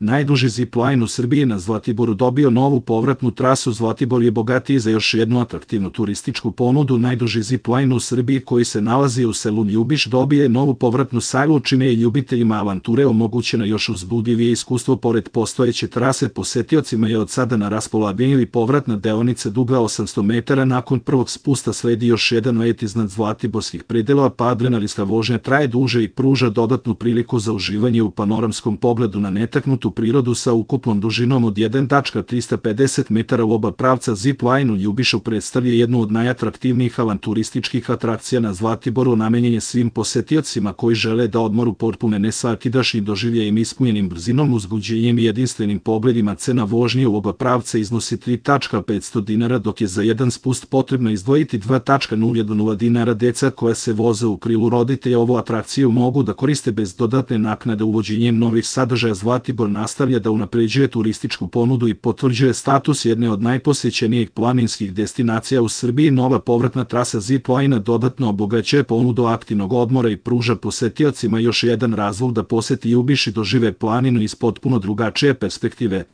Najduži zipline u Srbiji na Zlatiboru dobio novu povratnu trasu. Zlatibor je bogatiji za još jednu atraktivnu turističku ponudu. Najduži zipline u Srbiji koji se nalazi u selu Ljubiš dobije novu povratnu sagu, čime je ljubiteljima avanture omogućeno još uzbudljivije iskustvo. Pored postojeće trase, posetiocima je od sada na raspolaganju i povratna deonica duga 800 metara. Nakon prvog spusta sledi još jedan let iznad zlatiborskih predela, pa adrenalinska vožnja traje duže i pruža dodatnu priliku za uživanje u panoramskom pogledu na netaknutu prirodu sa ukupnom dužinom od 1,350 metara u oba pravca. Zipline u Ljubišu predstavlja jednu od najatraktivnijih avanturističkih atrakcija na Zlatiboru. Namenjen je svim posetiocima koji žele da odmor upotpune nesvakidašnjim doživljajem, ispunjenim brzinom, uzbuđenjem i jedinstvenim pogledima. Cena vožnje u oba pravca iznosi 3,500 dinara, dok je za jedan spust potrebno izdvojiti 2,0 dinara. Deca koja se voze u krilu roditelja ovu atrakciju mogu da koriste bez dodatne naknade. Uvođenjem novih sadržaja Zlatibor nastavlja da unapređuje turističku ponudu i potvrđuje status jedne od najposećenijih planinskih destinacija u Srbiji. Nova povratna trasa zipline dodatno obogaćuje ponudu aktivnog odmora i pruža posetiocima još jedan razlog da poseti Ljubiš i dožive planinu iz potpuno drugačije perspektive.